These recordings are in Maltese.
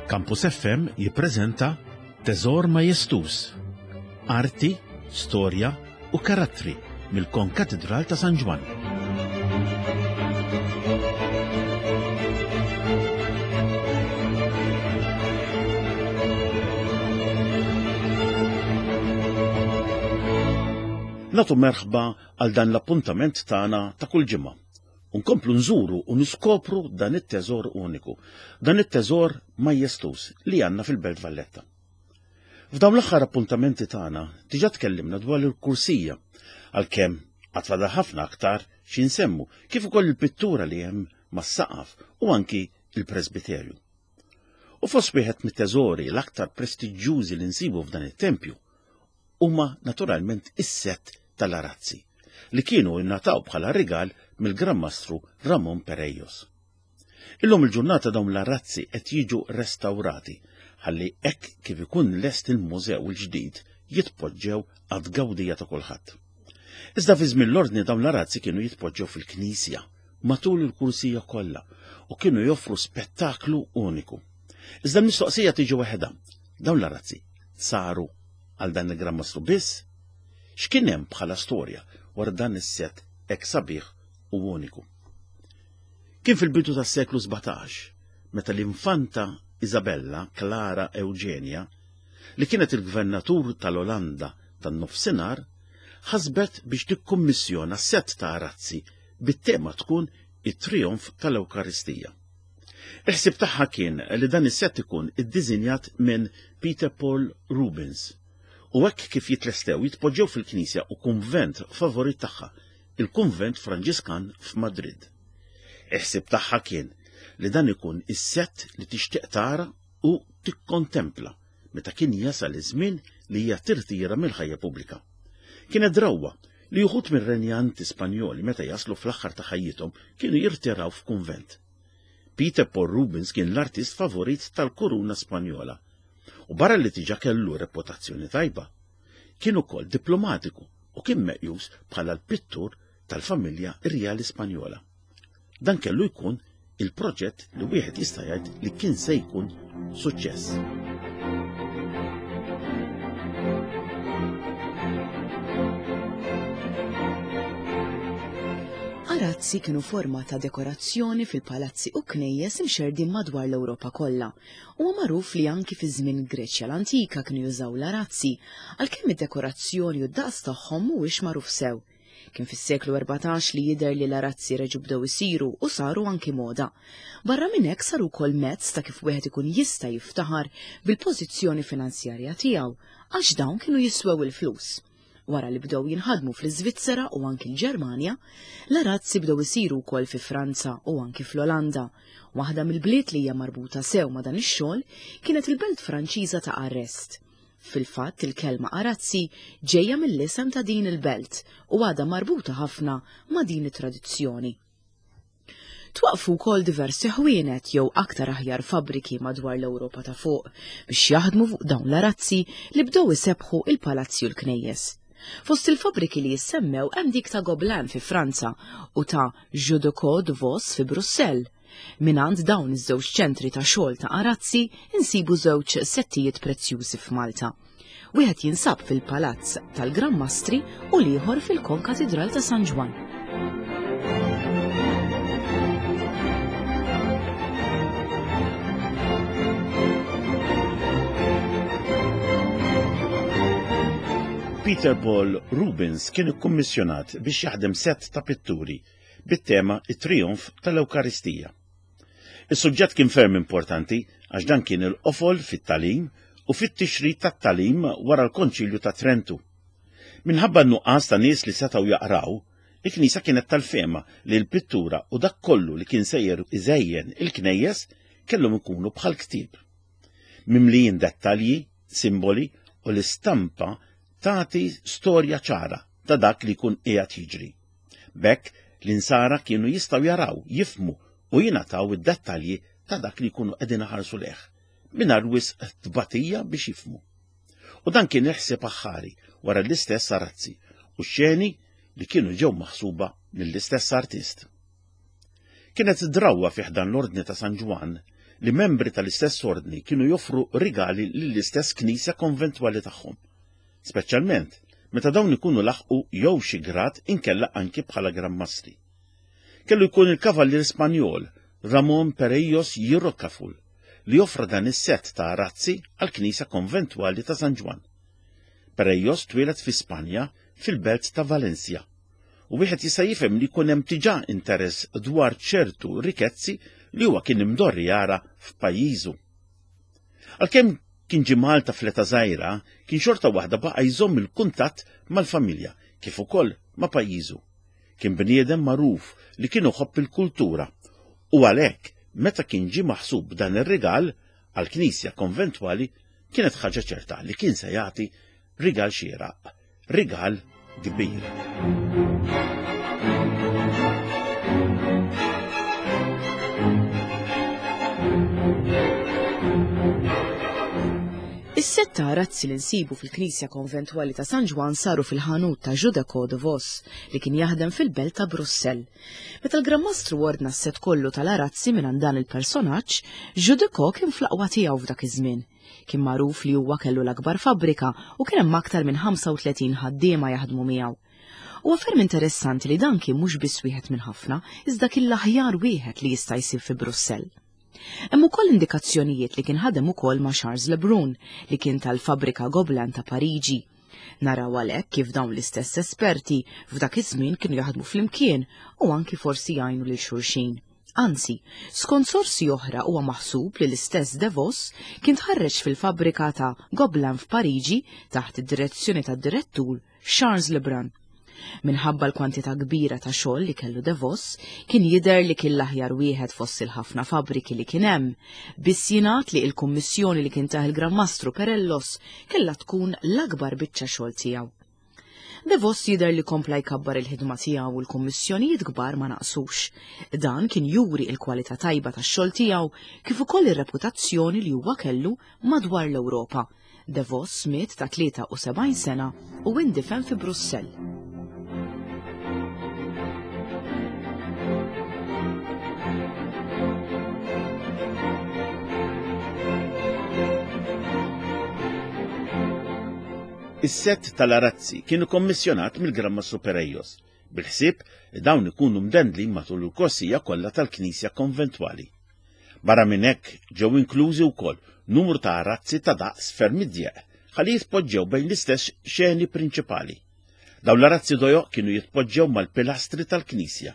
Campus FM jippreżenta Teżor Majestuż, Arti, Storja u Karattri mill-Konkatidral ta' San Ġwann. Nagħtu merħba għal dan l-appuntament tagħna ta' kull ġimgħa. U nkomplu nżuru u niskopru dan it-teżor uniku, dan it-teżor majestuż li għandna fil-Belt Valletta. F'dawn l-aħħar appuntamenti tagħna diġà tkellimna dwar il-kursija, għalkemm għad fadal ħafna aktar xi nsemmu, kif ukoll il-pittura li hemm mas-saqaf u anki il-presbiterju. U fost wieħed mit-teżori l-aktar prestiġjużi li nsibu f'dan it-tempju huma naturalment is-sett tal-arazzi li kienu ingħataw bħala rigal mill-Gran Mastru Ramon Perejos. Illum il-ġurnata dawn l-arazzi qed jiġu restawrati ħalli hekk kif ikun lest il-mużew il-ġdid jitpoġġew għat-tgawdija ta' kulħadd. Iżda fi żmien l-ordni dawn l-arazzi kienu jitpoġġew fil-knisja matul il-kursija kollha u kienu joffru spettaklu uniku. Iżda l-mistoqsija tiġi waħedha, dawn l-arazzi saru għal dan il-Gran Mastru biss? X'kien hemm bħala storja wara dan is-sett hekk sabiħ u uniku? Kien fil-bidu tas-seklu 17 meta l-infanta Isabella Clara Eugenia, li kienet il-gvernatur tal-Olanda tan-Nofsinhar, ħasbet biex tikkummissjona sett ta' arazzi bit-tema tkun it-trijonf tal-Ewkaristija. Il-ħsieb tagħha kien li dan is-sett ikun iddiżinjat minn Peter Paul Rubens u hekk kif jitlestew jitpoġġew fil-knisja u kunvent favorit tagħha, il-Kunvent Franġiskan f'Madrid. Il-ħsieb tagħha kien li dan ikun is-sett li tixtieq tara u tikkontempla meta kien jasal iż-żmien li hija tirtira mill-ħajja pubblika. Kienet drawwa li uħud mir-renjanti Spanjoli meta jaslu fl-aħħar ta' ħajjithom kienu jirtiraw f'kunvent. Peter Paul Rubens kien l-artist favorit tal-kuruna Spanjola u barra li diġà kellu reputazzjoni tajba, kien ukoll diplomatiku u kien meqjus bħala l-pittur tal-familja rjali Spanjola. Dan kellu jkun il-proġett li wieħed jista' jgħid li kien se jkun suċċess. Arazzi kienu forma ta' dekorazzjoni fil-palazzi u knejjes imxerrdin madwar l-Ewropa kollha. Huwa magħruf li anki fi żmien Greċja l-antika kienu jużaw l-arazzi, għalkemm id-dekorazzjoni u d-daqs tagħhom mhuwiex magħruf sew. Kien fis-seklu 14 li jidher li l-arazzi reġgħu bdew isiru u saru anki moda. Barra minn hekk saru wkoll mezz ta' kif wieħed ikun jista' jiftaħar bil-pożizzjoni finanzjarja tiegħu għax dawn kienu jiswew il-flus. Wara li bdew jinħadmu fl-Iżvizzera u anki l-Ġermanja, l-arazzi bdew isiru wkoll fi Franza u anki fl-Olanda. Waħda mill-bliet li hija marbuta sew ma' dan ix-xogħol kienet il-belt Franċiża ta' Arrest. Fil-fatt il-kelma arazzi ġejja mill-isem ta' din il-belt u għadha marbuta ħafna ma' din it-tradizzjoni. Twaqqfu wkoll diversi ħwienet jew aktar aħjar fabbriki madwar l-Ewropa ta' fuq biex jaħdmu fuq dawn l-arazzi li bdew isebbħu il-palazzi u l-knejjes. Fost il-fabbriki li jissemmew hemm dik ta' Gobelin fi Franza u ta' Jodocot de Vos fi Brussell. Mingħand dawn iż-żewġ ċentri ta' xogħol ta' arazzi insibu żewġ settijiet prezzjużi f'Malta. Wieħed jinsab fil-Palazz tal-Gran Mastri u l-ieħor fil-Konkatidral ta' San Ġwann. Peter Paul Rubens kien ikkummissjonat biex jaħdem sett ta' pitturi bit-tema It-Trijonf tal-Ewkaristija. Is-suġġett kien ferm importanti għax dan kien il-qofol fit-tagħlim u fit-tixrid tat-tagħlim wara l-Konċilju ta' Trentu. Minħabba n-nuqqas ta' nies li setgħu jaqraw, il-Knisja kienet tal-fehma li l-pittura u dak kollu li kien sejjer iżejjen il-knejjes kellhom ikunu bħal ktieb. Mimlijin dettalji, simboli u l-istampa tagħti storja ċara ta' dak li jkun qiegħed jiġri. B'hekk l-insara kienu jistgħu jaraw, jifhmu u jingħataw id-dettalji ta' dak li jkunu qegħdin iħarsu lejh, mingħajr wisq tbatija biex jifhmu. U dan kien il-ħsieb aħħari wara l-istess arazzi u xeni li kienu ġew maħsuba mill-istess artist. Kienet drawwa fi ħdan l-Ordni ta' San Ġwann li membri tal-istess ordni kienu joffru rigali lill-istess knisja konventwali tagħhom. Speċjalment meta dawn ikunu laħqu jew xi grad inkella anki bħala Gran Mastri. Kellu jkun il-kavallier Spanjol Ramon Perellos y Rocafull li offra dan is-sett ta' arazzi għall-knisja konventwali ta' San Ġwann. Perellos twieled fi Spanja fil-belt ta' Valencia u wieħed jista' jifhem li jkun hemm diġà interess dwar ċertu rikezzi li huwa kien imdorri jara f'pajjiżu. Għalkemm kien ġie Malta fl-età żgħira, kien xorta waħda baqa' jżomm il-kuntatt mal-familja kif ukoll ma' pajjiżu. Kien bniedem magħruf li kien iħobb il-kultura u għalhekk meta kien ġie maħsub dan ir-rigal għall-knisja konventwali kienet ħaġa ċerta li kien se jagħti rigal xieraq, rigal kbir. Is-sett ta' arazzi li nsibu fil-Knisja Konventwali ta' San Ġwann saru fil-ħanut ta' Judeco de Vos li kien jaħdem fil-belt ta' Brussell. Meta l-Gran Mastru ordna s-sett kollu tal-arazzi mingħand dan il-personaġġ, Judeco kien fl-aqwa tiegħu f'dak iż-żmien. Kien magħruf li huwa kellu l-akbar fabbrika u kien hemm aktar minn 35 ħaddiema jaħdmu miegħu. Huwa ferm interessanti li dan kien mhux biss wieħed minn ħafna, iżda kien l-aħjar wieħed li jista' jsir fi Brussell. Hemm ukoll indikazzjonijiet li kien ħadem ukoll ma' Charles Lebrun, li kien tal-fabbrika Gobelin ta' Pariġi. Naraw għalhekk kif dawn l-istess esperti f'dak iż-żmien kienu jaħdmu flimkien u anki forsi jgħinu lil xulxin. Anzi, skont sorsi oħra huwa maħsub li l-istess De Vos kien tħarreġ fil-fabbrika ta' Gobelin f'Pariġi taħt id-direzzjoni tad-direttur Charles Lebrun. Minħabba l-kwantità kbira ta' xogħol li kellu De Vos, kien jidher li kien l-aħjar wieħed fost il-ħafna fabbriki li kien hemm. Biss jingħad li l-kummissjoni li kien tah il-Gran Mastru Perellos kellha tkun l-akbar biċċa xogħol tiegħu. De Vos jidher li kompla jkabbar il-ħidma tiegħu u l-kummissjonijiet kbar ma naqsux. Dan kien juri l-kwalità tajba tax-xogħol tiegħu kif ukoll ir-reputazzjoni li huwa kellu madwar l-Ewropa. De Vos miet ta' 73 sena u indifen fi Brussell. Is-sett tal-arazzi kien ikkommissjonat mill-Gran Mastru Perellos, bil-ħsieb li dawn ikunu mdendlin matul il-korsija kollha tal-knisja konventwali. Barra minn hekk ġew inklużi wkoll numru ta' arazzi ta' daqs ferm idjeq ħalli jitpoġġew bejn l-istess xeni prinċipali. Dawn l-arazzi dojoq kienu jitpoġġew mal-pilastri tal-knisja.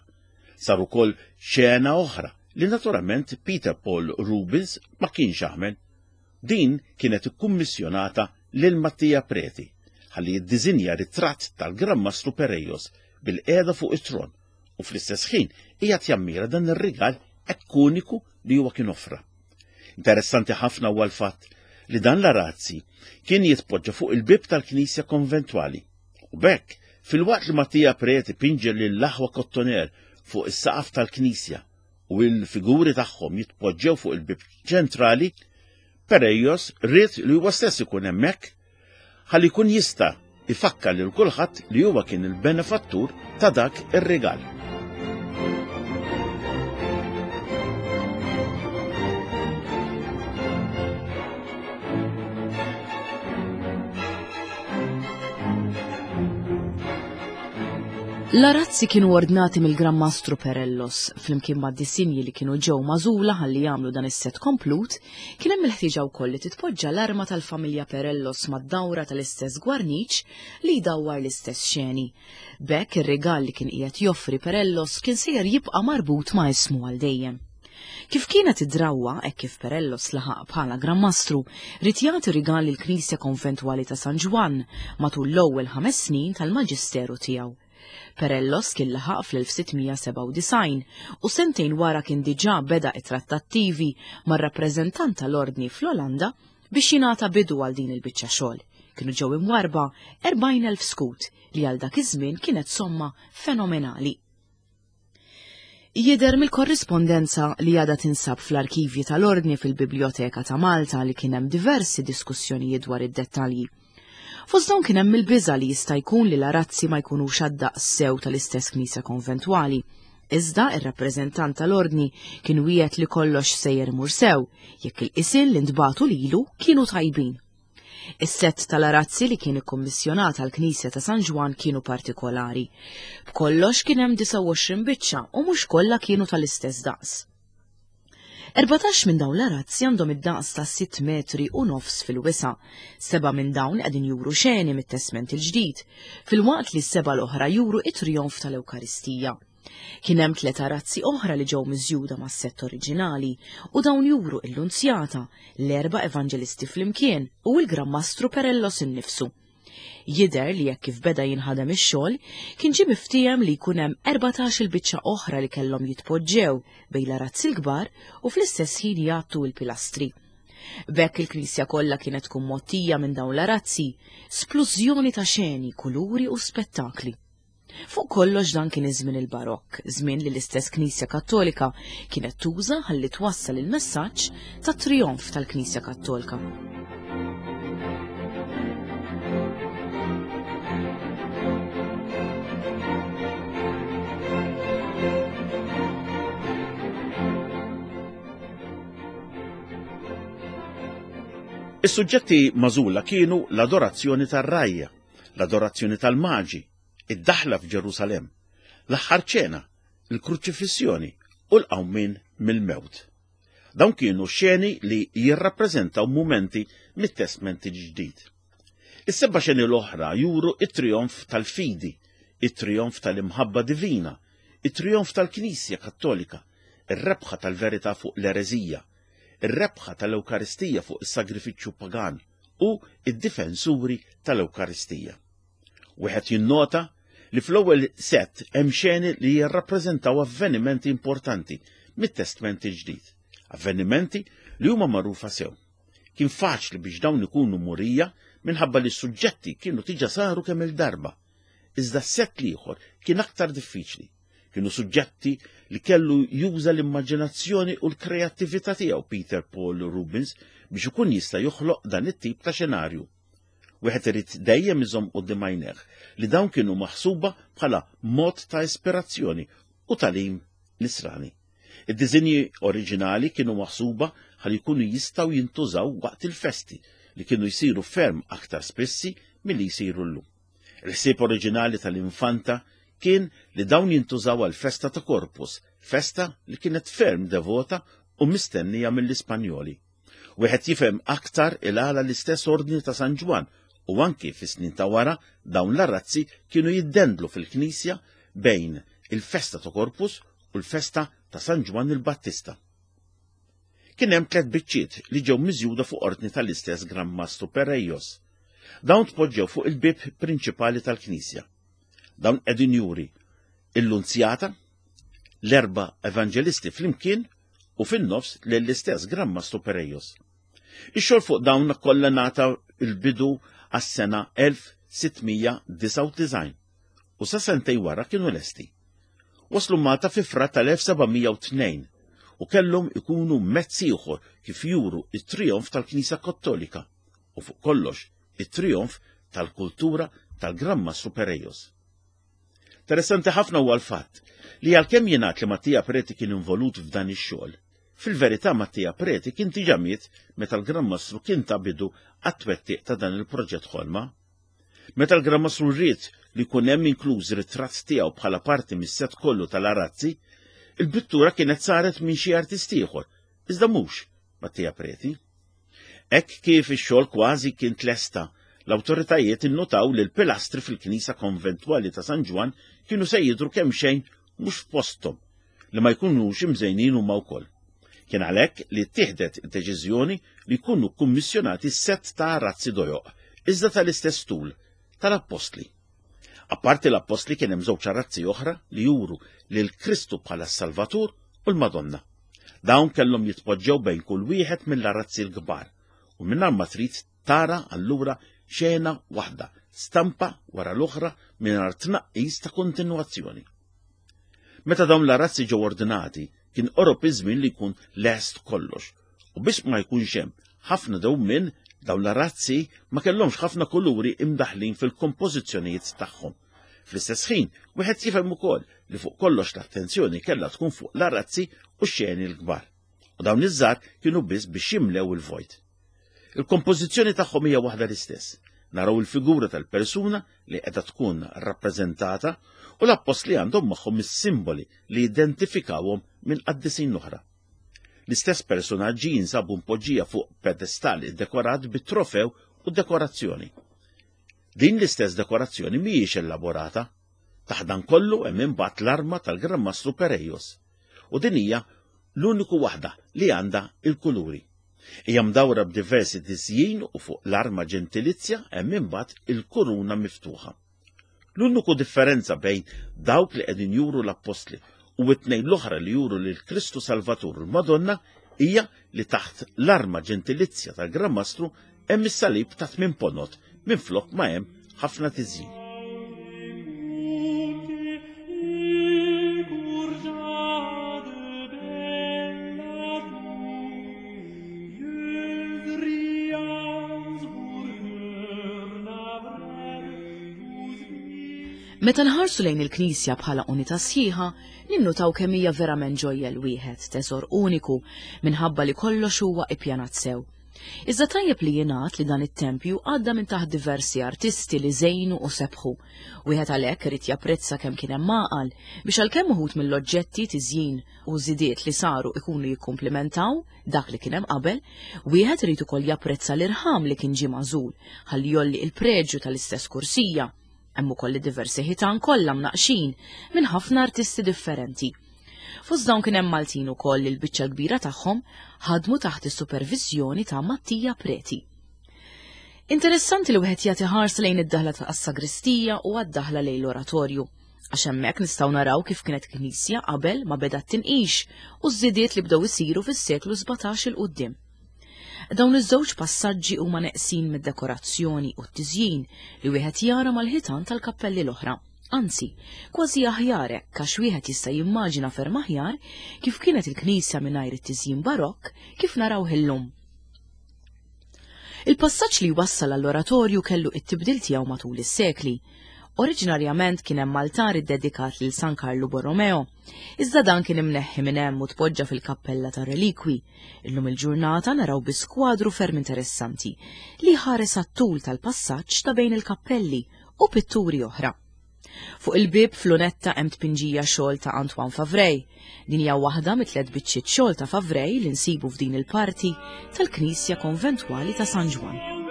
Sar ukoll xena oħra li naturalment Peter Paul Rubens ma kienx għamel. Din kienet ikkummissjonata lil Mattia Preti ħalli jiddiżinja ritratt tal-Gran Mastru Perellos bil-qiegħda fuq it-tron u fl-istess ħin qiegħed jammira dan ir-rigal hekk uniku li huwa kien offra. Interessanti ħafna huwa l-fatt li dan l-arazzi kien jitpoġġa fuq il-bieb tal-knisja konventwali. U b'hekk, filwaqt li Mattia Preti pinġel lill-aħwa Kottoner fuq is-saqaf tal-knisja u l-figuri tagħhom jitpoġġew fuq il-bieb ċentrali, Perellos ried li huwa stess ikun hemmhekk ħalli jkun jista' ifakkar lil kulħadd li huwa kien il-benefattur ta' dak ir-rigal. L-arazzi kienu ordnati mill-Gran Mastru Perellos, flimkien ma' disinji li kienu ġew magħżula ħalli jagħmlu dan is-set komplut, kien hemm il-ħtieġa wkoll li titpoġġa l-arma tal-familja Perellos mad-dawra tal-istess gwarniċ li jdawwar l-istess xeni. B'hekk ir-rigal li kien qiegħed joffri Perellos kien sejjer jibqa' marbut ma' ismu għal dejjem. Kif kienet id-drawwa, hekk kif Perellos laħaq bħala Gran Mastru, ried jagħti rigal lill-Knisja Konventwali ta' San Ġwann matul l-ewwel ħames snin tal-maġisteru tiegħu. Perellos kien laħaq fl-1697 u sentejn wara kien diġà beda t-trattattivi mar-rappreżentant tal-Ordni fl-Olanda biex jingħata bidu għal din il-biċċa xogħol. Kienu ġew imwarrba 40,000 skut li għal dak iż-żmien kienet somma fenomenali. Jidher mill-korrispondenza li għadha tinsab fl-arkivji tal-Ordni fil-Bibljoteka ta' Malta li kien hemm diversi diskussjonijiet dwar id-dettalji. Fost dawn kien hemm il-biża' li jista' jkun li l-arazzi ma jkunux għad-daqs sew tal-istess knisja konventwali. Iżda ir-rappreżentant tal-Ordni kien wiegħed li kollox sejjer imur sew jekk il-qisien li ntbagħtu lilu kienu tajbin. Is-sett tal-arazzi li kien ikkummissjonat għall-Knisja ta' San Ġwann kienu partikolari. B'kollox kien hemm 29 biċċa u mhux kollha kienu tal-istess daqs. 14 minn dawn l-arazzi għandhom id-daqs ta' 6 metri u nofs fil-wisa'. Seba' minn dawn qegħdin juru xeni mit-Testment il-Ġdid, filwaqt li s-seba' l-oħra juru it-trijonf tal-Ewkaristija. Kien hemm tliet arazzi oħra li ġew miżjuda mas-sett oriġinali u dawn juru l-Lunzjata, l-erba' evanġelisti flimkien u l-Gran Mastru Perellos innifsu. Jidher li hekk kif beda jinħadem ix-xogħol, kien ġie miftiehem li jkun hemm 14-il biċċa oħra li kellhom jitpoġġew bejn l-arazzi l-kbar u fl-istess ħin jgħattu l-pilastri. B'hekk il-knisja kollha kienet tkun mgħottija minn dawn l-arazzi, splużjoni ta' xeni, kuluri u spettakli. Fuq kollox dan kien iż-żmien il-Barokk, żmien li l-istess Knisja Kattolika kienet tuża ħalli twassal il-messaġġ tat-trijonf tal-Knisja Kattolka. Is-suġġetti magħżula kienu l-adorazzjoni tar-rgħajja, l-adorazzjoni tal-maġi, id-daħla f'Ġerusalemm, l-aħħar ċena, il-kruċifissjoni u l-qawmien mill-mewt. Dawn kienu xeni li jirrappreżentaw mumenti mit-Testment il-Ġdid. Is-seba' xeni l-oħra juru it-trijonf tal-fidi, it-trijonf tal-imħabba divina, it-trijonf tal-Knisja Kattolika, ir-rebħa tal-verità fuq l-ereżija, ir-rebħa tal-Ewkaristija fuq is-sagrifiċċju pagan u id-difensuri tal-Ewkaristija. Wieħed jinnota li fl-ewwel sett hemm xeni li jirrappreżentaw avvenimenti importanti mit-Testment il-Ġdid, avvenimenti li huma magħrufa sew. Kien faċli biex dawn ikunu murija minħabba li s-suġġetti kienu tiġa saru kemm il-darba. Iżda s-sett l-ieħor kien aktar diffiċli. Kienu suġġetti li kellu juża l-immaġinazzjoni u l-kreattività tiegħu Peter Paul Rubens biex ikun jista' joħloq dan it-tip ta' xenarju. Wieħed irid dejjem iżomm quddiem għajnejh li dawn kienu maħsuba bħala mod ta' ispirazzjoni u tagħlim nisrani. Id-diżinji oriġinali kienu maħsuba ħalli jkunu jistgħu jintużaw waqt il-festi li kienu jsiru ferm aktar spissi milli jsiru llum. Il-ħsieb oriġinali tal-Infanta kien li dawn jintużaw għall-festa ta' Corpus, festa li kienet ferm devota u mistennija mill-Ispanjoli. Wieħed jifhem aktar il-għala l-istess Ordni ta' San Ġwann u anki fis-snin ta' wara dawn l-arazzi kienu jiddendlu fil-knisja bejn il-festa ta' Corpus u l-festa ta' San Ġwann il-Battista. Kien hemm tliet biċċiet li ġew miżjuda fuq ordni tal-istess Gran Mastru Perejos. Dawn tpoġġew fuq il-bieb prinċipali tal-knisja. Dawn qegħdin juri il-Lunzjata, l-erba' evanġelisti flimkien u fin-nofs lill-istess Gran Mastru Perejos. Ix-xogħol fuq dawn kollha ngħata l-bidu għas-sena 1699 u sa sentej wara kienu lesti. Waslu Malta fi Frar tal-1702 u kellhom ikunu mezz ieħor kif juru it-trijonf tal-Knisja Kattolika u fuq kollox it-trijonf tal-kultura tal-Gran Mastru Perejos. Interessanti ħafna huwa l-fatt li għalkemm jingħad li Mattia Preti kien involut f'dan ix-xogħol, fil-verità Mattia Preti kien diġà miet meta l-Gran Mastru kien ta bidu għat-twettiq ta' dan il-proġett ħolma. Meta l-Gran Mastru ried li jkun hemm inkluż ritratt tiegħu bħala parti mis-set kollu tal-arazzi, il-pittura kienet saret minn xi artist ieħor, iżda mhux Mattia Preti. Hekk kif ix-xogħol kważi kien tlesta, l-awtoritajiet innutaw li l-pilastri fil-knisja konventwali ta' San Ġwann kienu se jidhru kemxejn mhux f'posthom, li ma jkunux imżejnin huma wkoll. Kien għalhekk li ttieħdet id-deċiżjoni li jkunu kkummissjonati sett ta' arazzi dojoq, iżda tal-istess tul, tal-appostli. Apparti l-appostli kien hemm żewġ arazzi oħra li juru lil Kristu bħala s-Salvatur u l-Madonna. Dawn kellhom jitpoġġew bejn kull wieħed mill-arazzi l-kbar u mingħajr ma trid tara allura xena waħda, stampa wara l-oħra mingħajr tnaqqis ta' kontinwazzjoni. Meta dawn l-arazzi ġew ordinati, kien qorob iż-żmien li jkun lest kollox u biex ma jkunx hemm ħafna dewmien dawn l-arazzi ma kellhomx ħafna kuluri imdaħlin fil-kompożizzjonijiet tagħhom. Fl-istess ħin, wieħed jifhem ukoll li fuq kollox l-attenzjoni kellha tkun fuq l-arazzi u x-xeni l-kbar. U dawn iż-żgħar kienu biss biex jimlew il-vojt. Il-kompożizzjoni tagħhom hija waħda l-istess. Naraw il-figura tal-persuna li qiegħda tkun rappreżentata u l-appostli għandhom magħhom is-simboli li jidentifikawhom minn qaddisin oħra. L-istess personaġġi jinsabu mpoġġija fuq pedestal iddekorat bi trofew u dekorazzjoni. Din l-istess dekorazzjoni mhijiex elaborata. Taħt dan kollu hemm imbagħad l-arma tal-Gran Mastru Perejos. U din hija l-uniku waħda li għandha il-kuluri. Hija mdawra b'diversi tiżjin u fuq l-arma ġentilizja hemm imbagħad il-kuruna miftuħa. L-uniku differenza bejn dawk li qegħdin juru l-appostli u t-tnejn l-oħra li juru lil Kristu Salvatur u l-Madonna hija li taħt l-arma ġentilizja tal-Gran Mastru hemm is-salib ta' tmien ponot minflok ma hemm ħafna tiżjin. Meta nħarsu lejn il-Knisja bħala unità sħiħa, ninnutaw kemm hija verament ġojjel wieħed, teżor uniku, minħabba li kollox huwa ippjanat sew. Iżda tajjeb li jingħad li dan it-tempju għadda minn taħt diversi artisti li żejnu u sebħu. Wieħed għalhekk irid japprezza kemm kien hemm għaqal biex għalkemm uħud mill-oġġetti, tiżjin u żidiet li saru ikunu jikkumplimentaw dak li kien hemm qabel, wieħed irid ukoll japprezza l-irħam li kien ġie magħżul ħalli jgħolli il-preġju tal-istess kursija. Hemm ukoll id-diversi ħitan kollha mnaqqxin minn ħafna artisti differenti. Fost dawn kien hemm Maltin ukoll li l-biċċa l-kbira tagħhom ħadmu taħt is-superviżjoni ta' Mattia Preti. Interessanti li wieħed jagħti ħarsa lejn id-daħla tas-sagristija u għad-daħla lejn l-oratorju, għax hemmhekk nistgħu naraw kif kienet knisja qabel ma beda t-tinqix u ż-żidiet li bdew isiru fis-seklu 17 il quddiem. Dawn iż-żewġ passaġġi huma neqsin mid-dekorazzjoni u t-tiżjin li wieħed jara mal-ħitan tal-kappelli l-oħra. Anzi, kważi aħjar hekk għax wieħed jista' jimmaġina ferm aħjar kif kienet il-knisja mingħajr it-tiżjin barokk kif narawh illum. Il-passaġġ li jwassal għall-oratorju kellu it-tibdil tiegħu matul is-sekli. Oriġinarjament kien hemm altar iddedikat lil San Karlu Borromeo, iżda dan kien imneħħi minn hemm u tpoġġa fil-kappella tar-relikwi. Illum il-ġurnata naraw biss kwadru ferm interessanti li jħares għat-tul tal-passaġġ ta' bejn il-kappelli u pitturi oħra. Fuq il-bieb f'lunetta hemm tpinġija xogħol ta' Antoine Favray. Din hija waħda mit-tliet biċċiet xogħol ta' Favray li nsibu f'din il-parti tal-Knisja Konventwali ta' San Ġwann.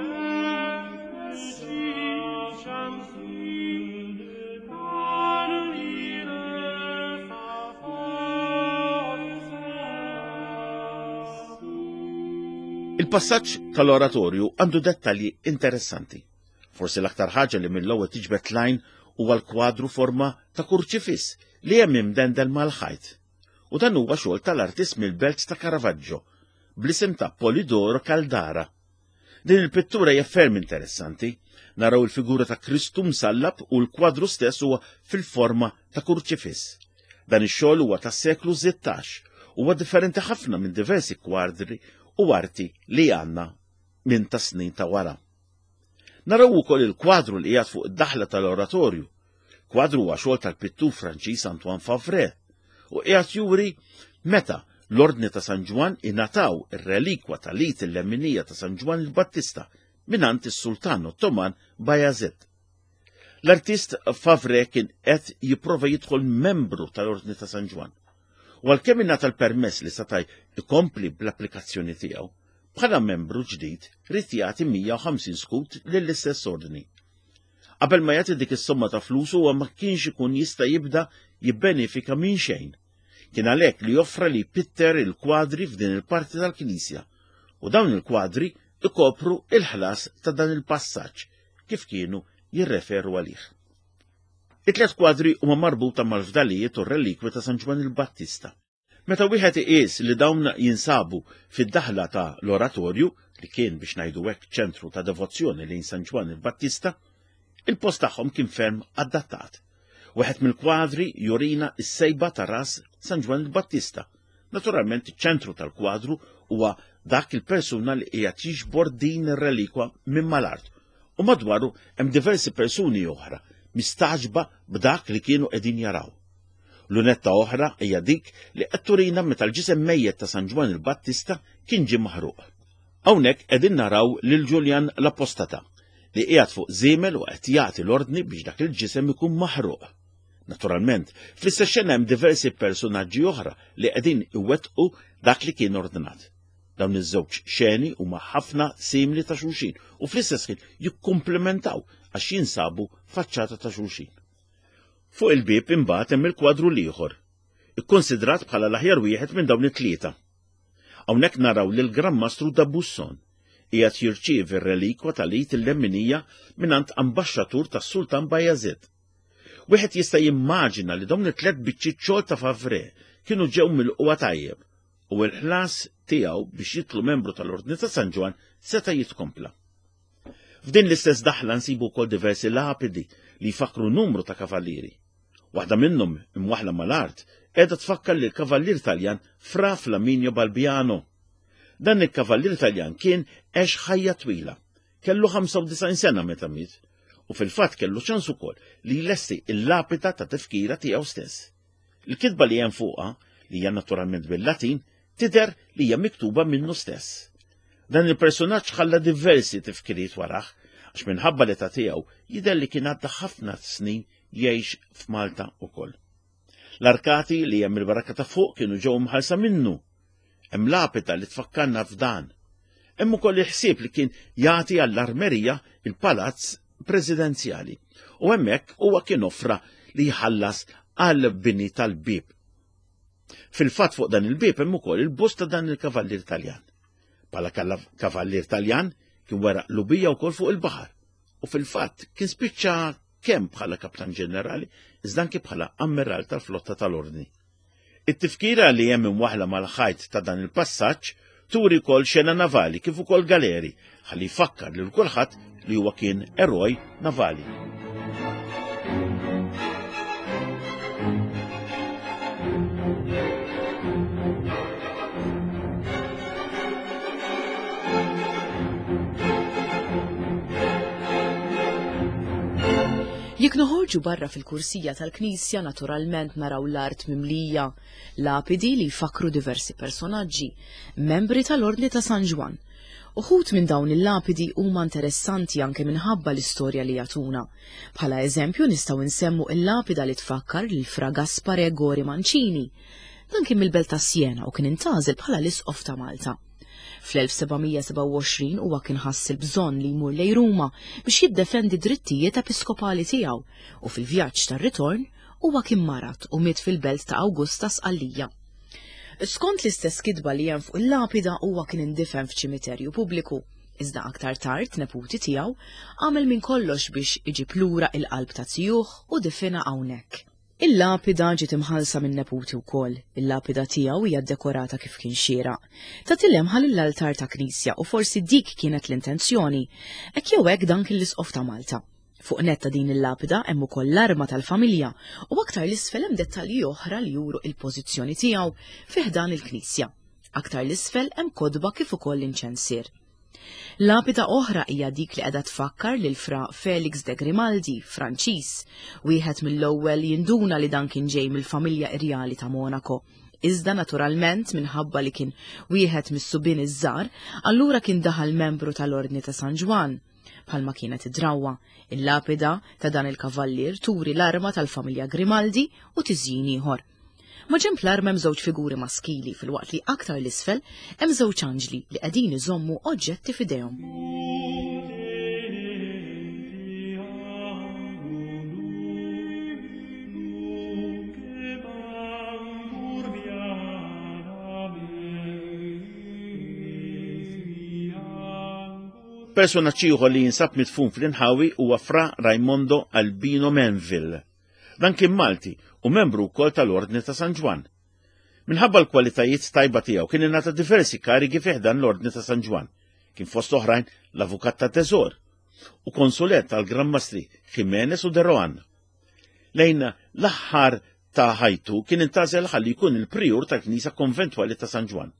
Il-passaġġ tal-oratorju għandu dettalji interessanti. Forsi l-aktar ħaġa li mill-ewwel tiġbed l-għajn huwa l-kwadru forma ta' kurċifiss li hemm imdendel mal-ħajt. U dan huwa xogħol tal-artist mill-belt ta' Caravaggio, bl-isem ta' Polidoro Caldara. Din il-pittura hija ferm interessanti. Naraw il-figura ta' Kristu msallab u l-kwadru stess huwa fil-forma ta' kurċifiss. Dan ix-xogħol huwa tas-seklu 16 huwa differenti ħafna minn diversi kwadri u arti li għandna minn ta' snin ta' wara. Naraw ukoll il-kwadru li qiegħed fuq id-daħla tal-oratorju. Kwadru huwa xogħol tal-pittur Franċiż Antoine Favre u qiegħed juri meta l-Ordni ta' San Ġwann ingħataw ir-relikwa tal-id il-lemminija ta' San Ġwann il-Battista mingħand is-Sultan Ottoman Bajazid. L-artist Favre kien qed jipprova jidħol membru tal-Ordni ta' San Ġwann. U għalkemm ingħata l-permess li seta' jkompli bl-applikazzjoni tiegħu, bħala membru ġdid ried jagħti 150 skut lill-istess ordni. Qabel ma jagħti dik is-somma ta' flus huwa ma kienx ikun jista' jibda jibbenefika minn xejn. Kien għalhekk li offra li jpitter il-kwadri f'din il-parti tal-knisja u dawn il-kwadri ikopru il-ħlas ta' dan il-passaġġ kif kienu jirreferu għalih. It-tliet kwadri huma marbuta mal-fdalijiet u r-relikwi ta' San Ġwann il-Battista. Meta wieħed iqis li dawn jinsabu fid-daħla ta' l-oratorju, li kien biex ngħidu hekk ċentru ta' devozzjoni lejn San Ġwann il-Battista, il-post tagħhom kien ferm adattat. Wieħed mill-kwadri jurina s-sejba ta' ras San Ġwann il-Battista. Naturalment iċ-ċentru tal-kwadru huwa dak il-persuna li qiegħed jiġbor din ir-relikwa minn mal-art u madwaru hemm diversi persuni oħra mistagħġba b'dak li kienu qegħdin jaraw. Lunetta oħra hija dik li qed turina meta l-ġisem mejjet ta' San Ġwann il-Battista kien ġie maħruq. Hawnhekk qegħdin naraw lil Ġuljan l-Apostata li qiegħed fuq żiemel u qed jagħti l-ordni biex dak il-ġisem ikun maħruq. Naturalment, fl-istess xena hemm diversi persunaġġi oħra li qegħdin iwettqu dak li kien ordnat. Dawn iż-żewġ xeni huma ħafna simili ta' xulxin u fl-istess ħin jikkumplementaw għax jinsabu faċċata ta' xulxin. Fuq il-bieb imbagħad hemm il-kwadru l-ieħor, ikkonsidrat bħala l-aħjar wieħed minn dawn it-tlieta. Hawnhekk naraw lil Gran Mastru da Busson qiegħed jirċievi r-relikwa tal-id il-lemminija mingħand ambaxxatur tas-Sultan Bajazid. Wieħed jista' jimmaġina li dawn it-tlet biċċiet xogħol ta' Favre kienu ġew milqugħa tajjeb u l-ħlas tiegħu biex jitlu membru tal-Ordni ta' San Ġwann seta' jitkompla. F'din l-istess daħla nsibu wkoll diversi lapidi li jfakkru numru ta' kavallieri. Waħda minnhom, imwaħħla mal-art, qiegħda tfakkar lil kavallier Taljan Fra Flaminio Balbiano. Dan il-kavallier Taljan kien għex ħajja twila. Kellu 95 sena meta miet u fil-fatt kellu ċans ukoll li jlesti il-lapida ta' tifkira tiegħu stess. Il-kitba li hemm fuqha, li hija naturalment bil-Latin, tidher li hija miktuba minnu stess. Dan il-personaġġ ħalla diversi tifkiriet warah, għax minħabba l-età tiegħu jidher li kien għadda ħafna snin jgħix f'Malta ukoll. L-arkati li hemm il-baraka ta' fuq kienu ġew imħallsa minnu. Hemm lapida li tfakkarna f'dan. Hemm ukoll il-ħsieb li kien jagħti għall-armerija il-palazz presidenzjali. U hemmhekk huwa kien offra li jħallas għal bini tal-bieb. Fil-fatt fuq dan il-bieb hemm ukoll il-bust ta' dan il-kavallier Taljan. Bħala kavallier Taljan kien wera lubija wkoll fuq il-baħar u fil-fatt kien spiċċa kemm bħala kaptan ġenerali iżda anke bħala ammiral tal-flotta tal-Ordni. It-tifkira li hemm imwaħħla mal-ħajt ta' dan il-passaġġ turi wkoll xena navali kif ukoll galeri ħalli jfakkar lil kulħadd li huwa kien eroj navali. Jekk noħorġu barra fil-kursija tal-knisja naturalment naraw l-art mimlija lapidi li jfakkru diversi personaġġi, membri tal-Ordni ta' San Ġwann. Uħud minn dawn il-lapidi huma interessanti anke minħabba l-istorja li jagħtuna. Bħala eżempju nistgħu nsemmu il-lapida li tfakkar lil Fra Gaspare Gori Mancini. Dan kien mill-belt ta' Siena u kien intgħażel bħala l-Isqof ta' Malta. Fl-1727 huwa kien ħass il-bżonn li jmur lejn Ruma biex jiddefendi d-drittijiet episkopali tiegħu u fil-vjaġġ tar-ritorn huwa kien marad u miet fil-belt ta' Augusta Sqallija. Skont l-istess kitba li hemm fuq il-lapida huwa kien indifen f'ċimiterju pubbliku, iżda aktar tard neputi tiegħu għamel minn kollox biex iġib lura il-qalb ta' zijuh u difinha hawnhekk. Il-lapida ġiet imħallsa min-neputi wkoll. Il-lapida tiegħu hija ddekorata kif kien xieraq. Tagħti lemħa lill-altar ta' knisja u forsi dik kienet l-intenzjoni. Hekk jew hekk dan kien l-Isqof ta' Malta. Fuq nett ta' din il-lapida hemm ukoll l-arma tal-familja u aktar 'l isfel hemm dettalji oħra li juru il-pożizzjoni tiegħu fi ħdan il-knisja. Aktar 'l isfel hemm kotba kif ukoll inċensier. Lapida oħra hija dik li qiegħda tfakkar lil Fra Felix de Grimaldi, Franċiż, wieħed mill-ewwel jinduna li dan kien ġej mill-familja irjali ta' Monaco. Iżda naturalment minħabba li kien wieħed mis-subien iż-żgħar, allura kien daħal membru tal-Ordni ta' San Ġwann. Bħalma kienet id-drawwa, il-lapida ta' dan il-kavallier turi l-arma tal-familja Grimaldi u tiżjin ieħor. Maġenb l-arma hemm żewġ figuri maskili filwaqt li aktar 'l isfel hemm żewġ anġli li qegħdin iżommu oġġetti f'idejhom. Personaġġ ieħor li jinsab midfun fl-inħawi huwa Fra Raimondo Albino Menville. Dan kien Malti u membru wkoll tal-Ordni ta' San Ġwann. Minħabba l-kwalitajiet tajba tiegħu kien ingħata diversi karigi fi ħdan l-Ordni ta' San Ġwann. Kien fost oħrajn l-avukat ta' teżor u konsulent tal-Gran Mastri Jimenez u de Rohan. Lejn l-aħħar ta' ħajtu kien intażel ħalli jkun il-prijur tal-Knisja Konventwali ta' San Ġwann.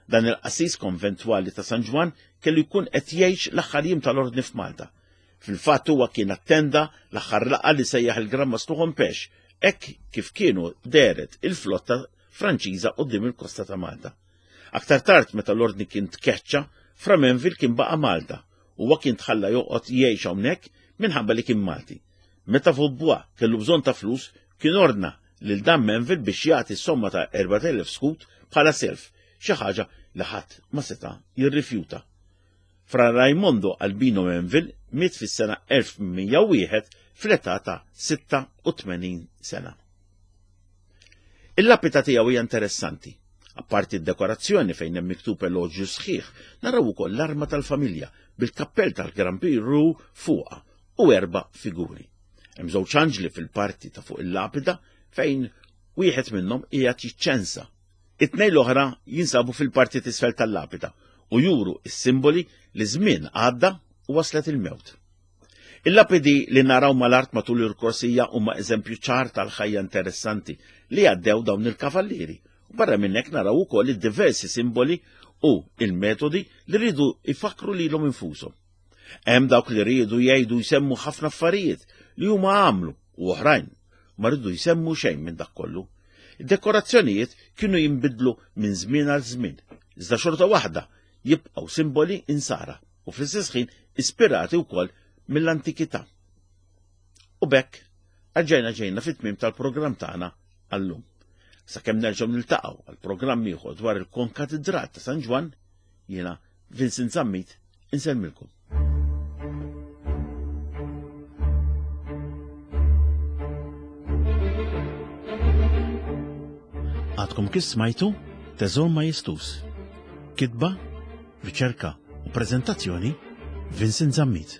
Dan il-qassis konventwali ta' San Ġwann kellu jkun qed jgħix l-aħħar jiem tal-Ordni f'Malta. Fil-fatt huwa kien attenda l-aħħar laqgħa li sejjaħ il-Gran Mastru Hompesch. hekk kif kienu dehret il-flotta Franċiża quddiem il-kosta ta' Malta. Aktar tard meta l-Ordni kien tkeċċa, Fra Menville kien baqa' Malta. Huwa kien tħalla joqgħod jgħix hawnhekk minħabba li kien Malti. Meta Vaubois kellu bżonn ta' flus, kien ordna lil dan Menville biex jagħti s-somma ta' 4,000 skut bħala self, xi ħaġa li ħadd ma seta' jirrifjuta. Fra Raimondo Albino Menville miet fis-sena 1801 fl-età ta' 86 sena. Il-lapita tiegħu hija interessanti. Apparti d-dekorazzjoni fejn hemm miktub eloġju sħiħ, naraw ukoll l-arma tal-familja bil-kappell tal-Gran Pirru fuqha u erba' figuri. Hemm żewġ anġli fil-parti ta' fuq il-lapida fejn wieħed minnhom qiegħed jiċċensa. It-tnejn l-oħra jinsabu fil-parti t'isfel tal-lapida u juru s-simboli li żmien għadda u waslet il-mewt. Il-lapidi li naraw mal-art matul il-korsija huma eżempju ċar tal-ħajja interessanti li għaddew dawn il-kavallieri. U barra minn hekk naraw ukoll id-diversi simboli u il-metodi li rridu jfakkru lilhom infushom. Hemm dawk li riedu jgħidu jsemmu ħafna affarijiet li huma għamlu u oħrajn ma rridu jsemmu xejn minn dak kollu. Id-dekorazzjonijiet kienu jinbidlu minn żmien għal żmien, iżda xorta waħda jibqgħu simboli insara u fl-istess ħin ispirati wkoll mill-antikità. U bekk erġajna ġejna fit-tmiem tal-programm tagħna għallum. Sakemm nerġgħu niltaqgħu għal programm ieħor dwar il-Konkatidral ta' San Ġwann, jiena Vincent Zammit insellmilkom. Għadkom kif smajtu Teżor Majestus. Kitba, riċerka u preżentazzjoni Vincent Zammit.